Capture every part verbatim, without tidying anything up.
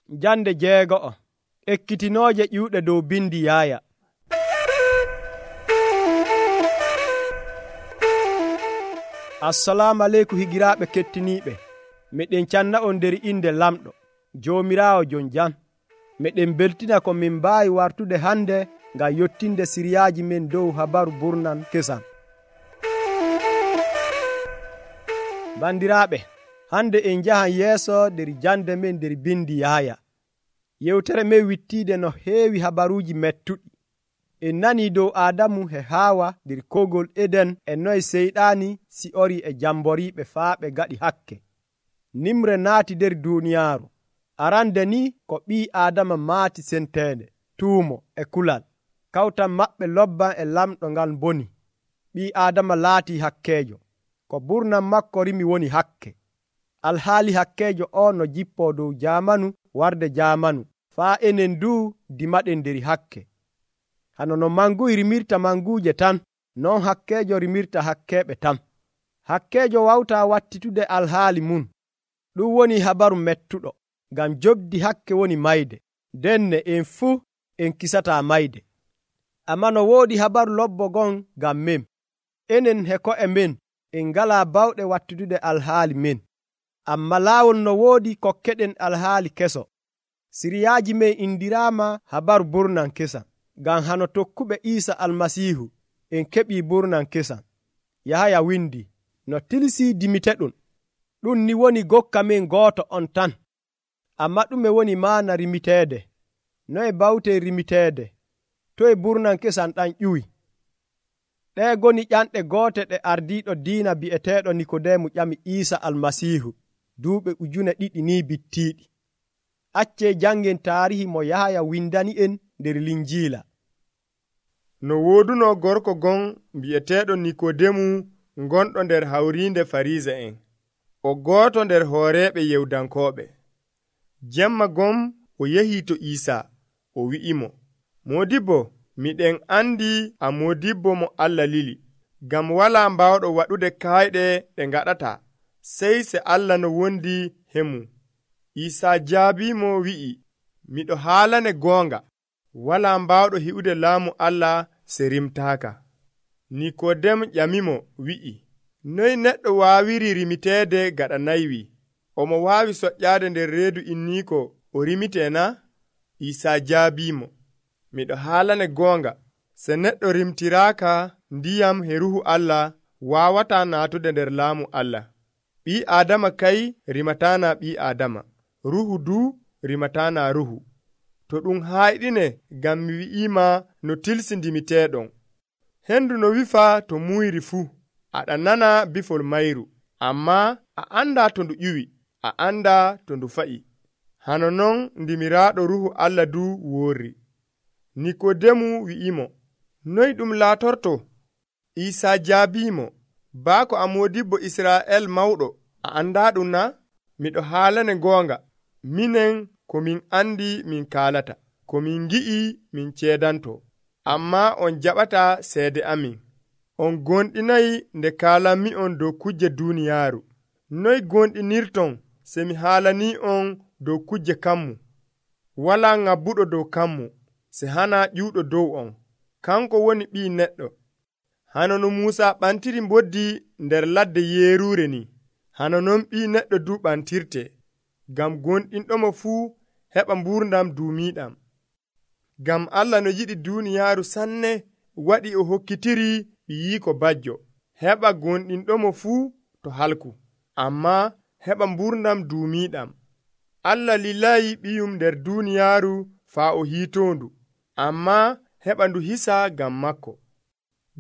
Jande jeego'o. Ekkitinooje ƴiwɗe dow bindi Yaaya. Assalamu aleykum higiraaɓe kettiniiɓe. Meɗen canna on nder inde lamɗo Joomiraawo jon jam. Meɗen beltina ko min mbaawi wartude hande ngam yottinde siriyaaji men dow habaru burnan kesam. Bandiraaɓe, hande en njahan yeeso nder jande men nder bindi Yaaya. Yewtere men wittiide no heewi habaruuji mettuɗi. En nanii dow Aadamu e Haawa nder kogol Eden e noye seyɗaani si'ori e jamboriiɓe faa ɓe gaɗi hakke. Nimre naati nder duuniyaaru. Arande ni ko ɓii Aadama maati senteende, tuumo e kulal. Kawtal maɓɓe lobban e lamɗo ngal boni. Ɓii Aadama laatii hakkeejo. Ko burnan makko rimi woni hakke. Alhaali hakkeejo o no jippoo dow jaamanu warde jaamanu, faa enen duu dimaɗen nder hakke. Hano no manguy rimirta manguuje tan, non hakkeejo rimirta hakkeeɓe tan. Hakkeejo wawtaa wattitude alhaali mun. Ɗum woni habaru mettuɗo, ngam jobdi hakke woni mayde. Denne en fuu en kisataa mayde. Ammaa no woodi habaru lobbo gon ngam men. Enen he ko'e men en ngalaa bawɗe wattitude alhaali men. Amma laawol no woodi kokkeɗen alhaali keso. Siriyaaji men indiraama habaru burnan kesam. Ngam hano tokkuɓe Iisa Almasiihu en keɓii burnan kesam. Yahaya windi, no tilsii dimiteɗum. Ɗum ni woni gokka men gooto on tan. Amma ɗume woni maana rimiteede? Noye bawtee rimiteede? Toye burnan kesam ɗan ƴuwi? Ɗee goni ƴanɗe goote ɗe ardiiɗo diina bi'eteeɗo Nikodeemu ƴami Iisa Almasiihu duuɓe ujune ɗiɗi ni bittiiɗi. Accee jangen taarihi mo Yahaya windani en nder Linjiila. No wooduno gorko gon bi'eteeɗo Nikodeemu gonɗo nder hawriinde Fariisa'en. O gooto nder hooreeɓe Yewdankooɓe. Jemma gom o yahii to Iisa, o wi'imo, Moodibbo, miɗen andi a moodibbo mo Allah lili, ngam walaa mbawɗo waɗude kayɗe ɗe ngaɗata, sey se Allah no wondi hemu. Iisa jaabiimo wi'i, miɗo haalane goonga, walaa mbawɗo hi'ude laamu Allah se rimtaaka. Nikodem ƴamimo wi'i, noy neɗɗo waawiri rimiteede gaɗa naywi? Omo waawi soƴƴaade nder reedu inniiko o rimitee na? Iisa jaabiimo, miɗo haalane goonga, se neɗɗo rimtiraaka ndiyam he Ruhu Allah waawataa naatude nder laamu Allah. Ɓii Aadama kay rimataana ɓii Aadama, Ruhu duu rimataana Ruhu. To ɗum hayɗine ngam mi wi'iima no tilsi ndimiteeɗon. Hendu no wifa to muyri fuu, aɗa nana bifol mayru, ammaa a andaa to ndu ƴuwi, a andaa to ndu fa'i. Hano non ndimiraaɗo Ruhu Allah duu woorri. Nikodemu wi'imo, noy ɗum laatorto? Iisa jaabiimo, baako a moodibbo Israa'el mawɗo, a andaa ɗum na? Miɗo haalane goonga, minen ko min andi min kaalata, ko min ngi'i min ceedanto, ammaa on jaɓataa seede amin. On gonɗinayi nde kaalanmi on dow kujje duuniyaaru. Noy gonɗinirton se mi haalanii on dow kujje kammu? Walaa ngabbuɗo dow kammu, se hana ƴuuɗo dow on. Kanko woni ɓii neɗɗo. Hano no Muusa ɓantiri mboddi nder ladde yeeruure ni, hano non ɓii neɗɗo du ɓantirte, ngam gonɗinɗomo fuu heɓa mbuurdam duumiiɗam. Ngam Allah no yiɗi duuniyaaru sanne waɗi o hokkitiri ɓiyiiko bajjo, heɓa gonɗinɗomo fuu to halku, ammaa heɓa mbuurdam duumiiɗam. Allah lilayi ɓiyum nder duuniyaaru faa o hiitoondu, ammaa heɓa ndu hisa ngam makko.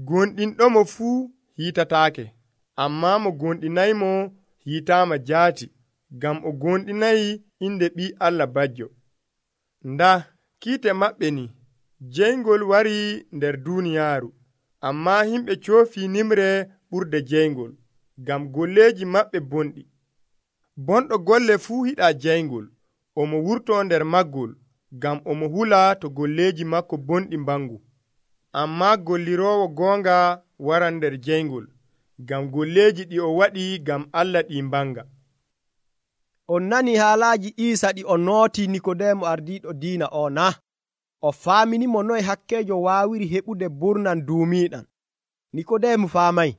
Gonɗinɗomo fuu hiitataake, ammaa mo gonɗinaymo hiitaama jaati, ngam o gonɗinayi inde ɓii Allah bajjo. Nda kiite maɓɓe ni, jeyngol wari nder duuniyaaru, ammaa himɓe coofii nimre ɓurde jeyngol, ngam golleeji maɓɓe bonɗi. Bonɗo golle fuu hiɗaa jeyngol, omo wurtoo nder maggol, ngam omo hula to golleeji makko bonɗi mbangu. Ammaa golliroowo goonga waran nder jeyngol, ngam golleeji ɗi o waɗi ngam Allah ɗi mbanga. On nani haalaaji Iisa ɗi o nooti Nikodeemu ardiiɗo diina o na? O faaminimo noye hakkeejo waawiri heɓude burnan duumiiɗan. Nikodeemu faamay.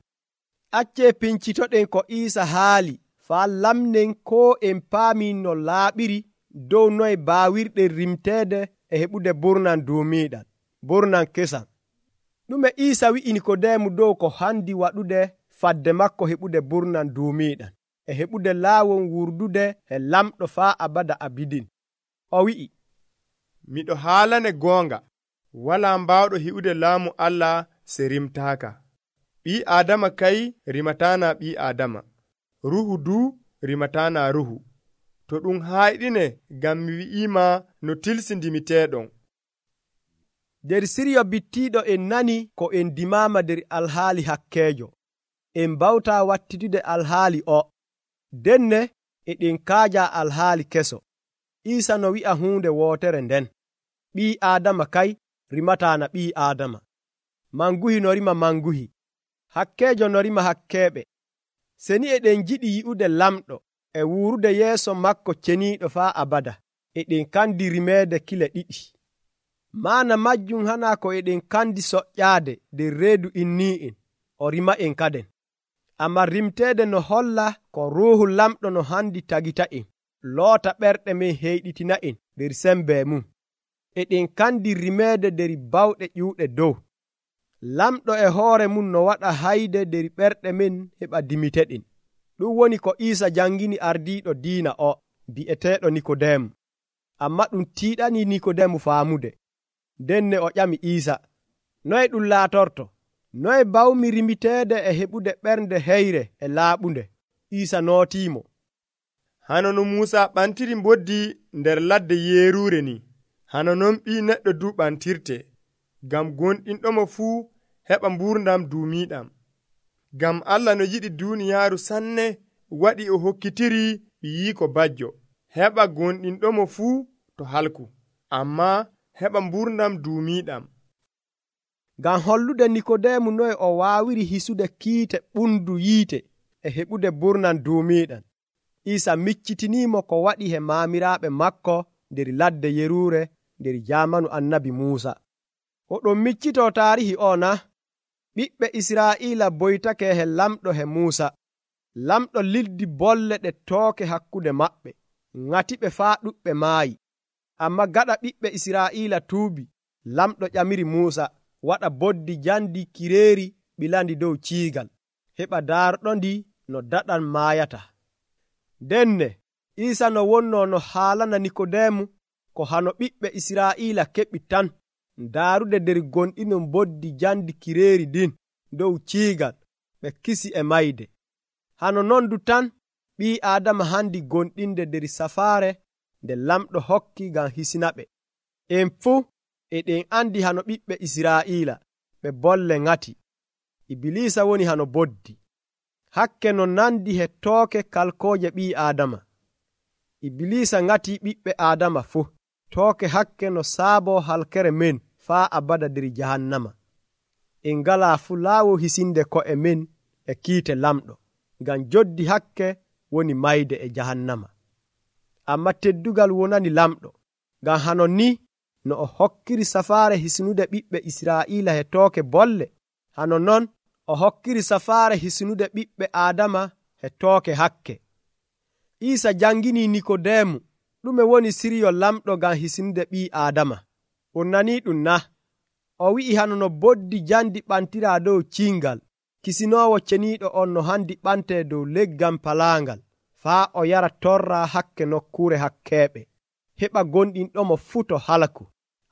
Accee pincitoɗen ko Iisa haali faa lamnen koo en paami no laaɓiri dow noye baawirɗen rimteede e heɓude burnan duumiiɗan, burnan kesan. Ɗume Iisa wi'i Nikodeemu dow ko handi waɗude fadde makko heɓude burnan duumiiɗan e heɓude laawol wurdude e lamɗo faa abada abidin. O wi'i, miɗo haalane goonga, walaa mbaawɗo hi'ude laamu Allah se rimtaaka. Ɓii Aadama kay rimataana ɓii Aadama, ruhu duu rimataana ruhu. To ɗum hayɗine ngam mi wi'iima no tilsindimiteeɗon. nder siryo bittiiɗo en nani ko en dimaama nder alhaali hakkeejo. En mbawtaa wattitude alhaali o. Denne eɗen kaaja alhaali keso. Iisa no wi'a huunde wootere nden. Ɓii Aadama kay rimataana ɓii Aadama. Manguhi no rima manguhi. Hakkeejo no rima hakkeeɓe. Seni eɗen jiɗi yi'ude lamɗo e wuurude yeeso makko ceniiɗo faa abada. Eɗen kandi rimeede kile ɗiɗi. Maana majjum hanaa ko eɗen kandi soƴƴaade nder reedu innii'en o rima en kaden. Amma rimteede no holla ko ruuhu lamɗo no handi tagita'en, loota ɓerɗe men heyɗitina'en nder sembe mum. Eɗen kandi rimeede nder bawɗe ƴiwɗe dow. Lamɗo e hoore mum no waɗa hayde nder ɓerɗe men heɓa dimiteɗen. Ɗum woni ko Iisa jangini ardiiɗo diina o, bi'eteeɗo Nikodeemu. Amma ɗum tiiɗani Nikodeemu faamude. Denne o ƴami Iisa, noye ɗum laatorto? Noye bawmi rimiteede e heɓude ɓernde heyre e laaɓunde? Iisa nootiimo. Hano no Muusa ɓantiri mboddi nder ladde yeeruure ni, hano non ɓii neɗɗo du ɓantirte, ngam gonɗinɗomo fuu heɓa mburdam duumiiɗam. Ngam Allah no yiɗi duuniyaaru sanne waɗi o hokkitiri ɓiyiiko bajjo, heɓa gonɗinɗomo fuu to halku, amma heɓa mburdam duumiiɗam. Ngam hollude Nikodeemu noye o waawiri hisude kiite ɓundu yiite e heɓude burnan duumiiɗan, Iisa miccitiniimo ko waɗi he maamiraaɓe makko nder ladde yeruure nder jaamanu annabi Muusa. Oɗon miccitoo taarihi o na? Ɓiɓɓe Israa'iila boytake he lamɗo he Muusa. Lamɗo lildi bolle ɗe tooke hakkude maɓɓe, ŋatiɓe faa ɗuɓɓe maayi. Amma gaɗa ɓiɓɓe Israa'iila tuubi, lamɗo ƴamiri Muusa waɗa boddi jandi kireeri ɓilandi dow ciigal, heɓa daarɗondi no daɗan maayata. Denne Iisa no wonno no haalana Nikodeemu ko hano ɓiɓɓe Israa'iila keɓi tan, daarude nder gonɗinon boddi jandi kireeri din dow ciigal ɓe kisi e mayde. Hano non du tan ɓii Aadama handi gonɗinde nder safaare nde lamɗo hokki ngam hisinaɓe. En fuu eɗen andi hano ɓiɓɓe Israa'iila ɓe bolle ŋati. Ibilisa woni hano boddi. Hakke no nandi he tooke kalkooje ɓii Aadama. Ibilisa ŋati ɓiɓɓe Aadama fuu. Tooke hakke no saabo halkere men faa abada nder jahannama. En ngalaa fu laawol hisinde ko'e men e kiite lamɗo, ngam joddi hakke woni mayde e jahannama. Amma teddugal wonani lamɗo, ngam hano ni no o hokkiri safaare hisnude ɓiɓɓe Israa'iila he tooke bolle, hano non o hokkiri safaare hisnude ɓiɓɓe Aadama he tooke hakke. Iisa jangini Nikodeemu ɗume woni siryo lamɗo ngam hisnude ɓii Aadama. On nanii ɗum na? O wi'i hano no boddi jandi ɓantiraa dow ciingal, kisinoowo ceniiɗo on no handi ɓantee dow leggal palaangal, faa o yara torra hakke nokkuure hakkeeɓe, heɓa gonɗinɗomo fuu to halku,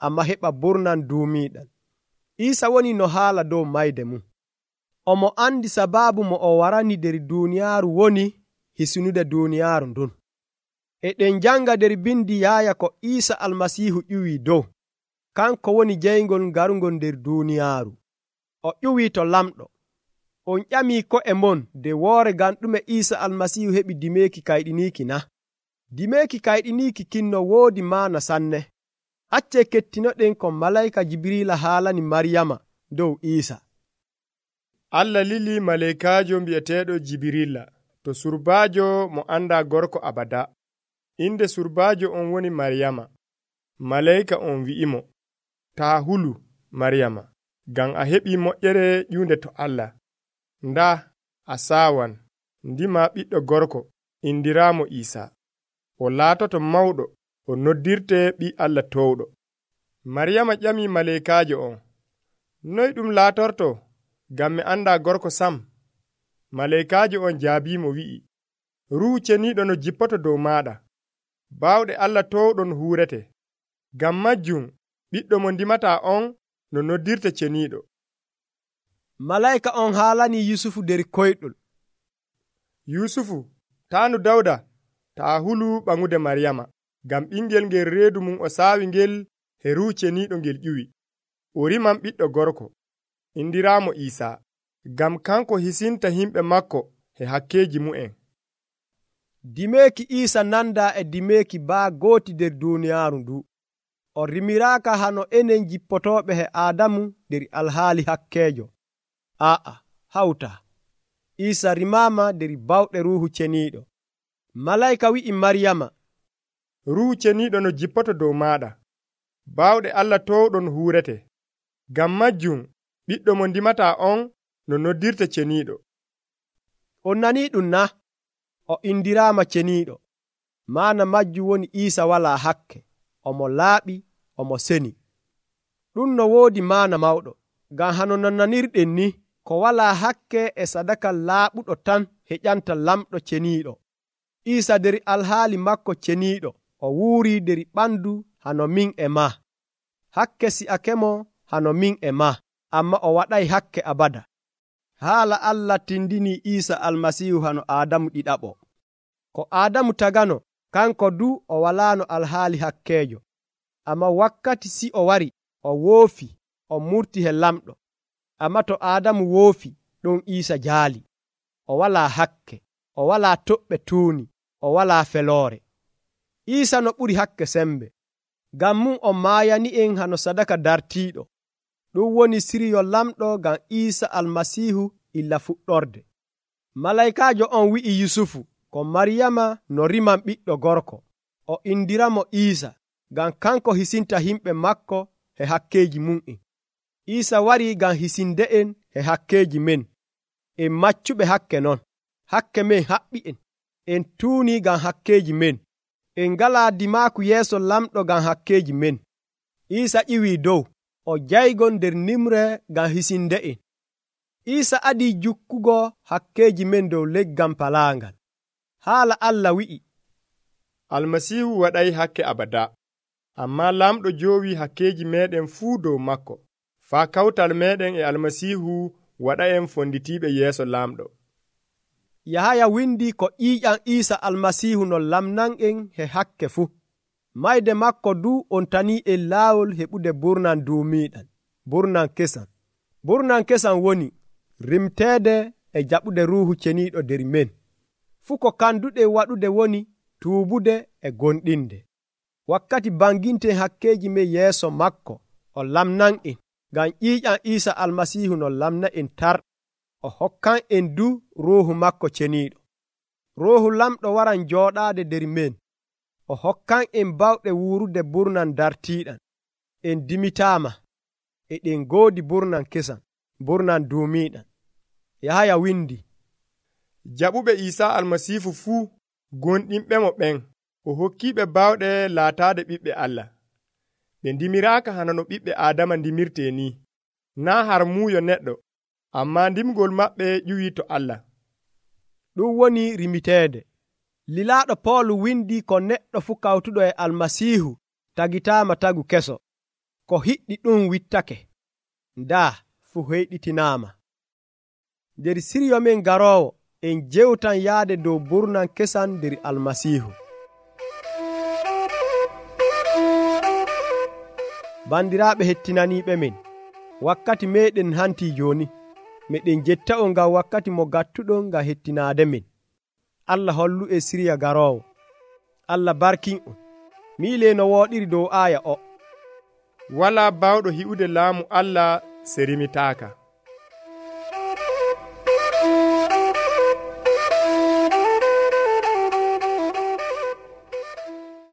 amma heɓa burnan duumiiɗan. Iisa woni no haala dow mayde mum. Omo andi sabaabu mo o warani nder duuniyaaru woni hisnude duuniyaaru ndun. Eɗen janga nder bindi yaaya ko Iisa almasiihu ƴuwii dow. Kanko woni jeyngol garungol nder duuniyaaru. O ƴuwii to lamɗo. On ƴamii ko'e mon de woore ngam ɗume Iisa almasiihu heɓi dimeeki kayɗiniiki na? Dimeeki kayɗiniiki kinno woodi maana sanne. Accee kettinoɗen ko malayka Jibriila haalani Maryama dow Iisa. Allah lili malaykaajo mbi'eteeɗo Jibriila to surbaajo mo anda gorko abada. inde surbaajo on woni Maryama. Maleyka on wi'imo, taa hulu Maryama, ngam a heɓii moƴƴere ƴiwnde to Allah. Ndaa a saawan ndima ɓiɗɗo gorko indiraamo Iisaa. O laatoto mawɗo, o noddirte ɓii Allah towɗo. Maryama ƴamii maleykaajo on, noy ɗum laatorto, ngam mi andaa gorko sam? Maleykaajo on jaabiimo wi'i, Ruuhu Ceniiɗo no jippoto dow maaɗa. Baawɗe Allah towɗo no huurete. Ngam majjum ɓiɗɗo mo ndimataa on no noddirte ceniiɗo. Malayka on haalanii Yusufu der koyɗol. Yusufu, taanu Dawda, taa hulu ɓaŋude Maryama, ngam ɓingel ngel reedu mum o saawi ngel he Ruuhu Ceniiɗo ngel ƴiwi. O riman ɓiɗɗo gorko, indiraamo Iisaa, ngam kanko hisinta himɓe makko he hakkeeji mu'en. Dimeeki Iisa nanda e dimeeki baa gooti der duuniyaaru ndu. O rimiraaka hano enen jippotooɓe he Aadamu der alhaali hakkeejo. Aa, hawtaa. Iisa rimaama der bawɗe Ruuhu Ceniiɗo. Malayka wi'i Maryama, Ruuhu Ceniiɗo no jippoto dow maaɗa. Baawɗe Allah towɗo no huurete. Ngam majjum ɓiɗɗo mo ndimataa on no noddirte ceniiɗo. On nanii ɗum na? O indiraama ceniiɗo. Maana majjum woni Iisa walaa hakke. Omo laaɓi, omo seni. Ɗum no woodi maana mawɗo. Ngam hano nananirɗen ni, ko walaa hakke e sadaka laaɓuɗo tan heƴanta lamɗo ceniiɗo. Iisa der alhaali makko ceniiɗo, o wuurii der ɓandu hano min e maa. Hakke si'akemo hano min e maa, amma o waɗay hakke abada. Haala Allah tindinii Iisa almasiihu hano Aadamu ɗiɗaɓo. Ko Aadamu tagano, kanko du o walaano alhaali hakkeejo. Amma wakkati si o wari, o woofi, o murti he lamɗo. Amma to Aadamu woofi, ɗon Iisa jaali. O walaa hakke, o walaa toɓɓe tuuni, o walaa feloore. Iisa no ɓuri hakke sembe. Ngam mum o maayani'en hano sadaka dartiiɗo. Ɗum woni siryo lamɗo ngam Iisa almasiihu illa fuɗɗorde. Malaykaajo on wi'i Yusufu ko Maryama no riman ɓiɗɗo gorko. O indiramo Iisa ngam kanko hisinta himɓe makko he hakkeeji mum'en. Iisa warii ngam hisinde'en he hakkeeji men. En maccuɓe hakke non. Hakke men haɓɓi'en. En tuunii ngam hakkeeji men. En ngalaa dimaaku yeeso lamɗo ngam hakkeeji men. Iisa ƴiwii dow. O jaygon nder nimre ngam hisinde'en. Iisa adii jukkugo hakkeeji men dow leggal palaangal. Haala Allah wi'i, Almasiihu waɗay hakke abada, ammaa lamɗo joowii hakkeeji meeɗen fuu dow makko, faa kawtal meeɗen e Almasiihu waɗa'en fonditiiɓe yeeso lamɗo. Yahaya windi ko ƴiiƴam Iisa almasiihu no lamnan'en he hakke fuu. Mayde makko du on tanii en laawol heɓude burnan duumiiɗan, burnan kesan. Burnan kesan woni rimteede e jaɓude Ruuhu Ceniiɗo der men. Fuu ko kanduɗe waɗude woni tuubude e gonɗinde. Wakkati banginten hakkeeji men yeeso makko, o lamnan'en ngam ƴiiƴam Iisa almasiihu no lamna en tar. O hokkan en du Ruuhu makko Ceniiɗo. Ruuhu lamɗo waran jooɗaade der men. O hokkan en bawɗe wuurude burnan dartiiɗan. En dimitaama, e ɗen goodi burnan kesan, burnan duumiiɗan. Yahaya windi, jaɓuɓe Iisaa almasiihu fuu gonɗinɓemo ɓen, o hokkiiɓe bawɗe laataade ɓiɓɓe Allah. Ɓe ndimiraaka hana no ɓiɓɓe Aadama ndimirtee ni, naa har muuyo neɗɗo, ammaa ndimgol maɓɓe ƴuwii to Allah. Ɗum woni rimiteede. Lilaaɗo Poolu windi ko neɗɗo fuu kawtuɗo e almasiihu tagitaama tagu keso. Ko hiɗɗi ɗum wittake. Ndaa fuu heyɗitinaama. Nder siryo men garoowo, en jewtan yaade dow burnan kesan nder almasiihu. Bandiraaɓe hettinaniiɓe men, wakkati meeɗen hantii jooni. Meɗen jetta'on ngam wakkati mo gattuɗon ngam hettinaade men. Allah hollu e siriya garoowo. Allah barkin'on. Miile no wooɗiri dow aaya o. Walaa baawɗo hi'ude laamu Allah serimitaaka.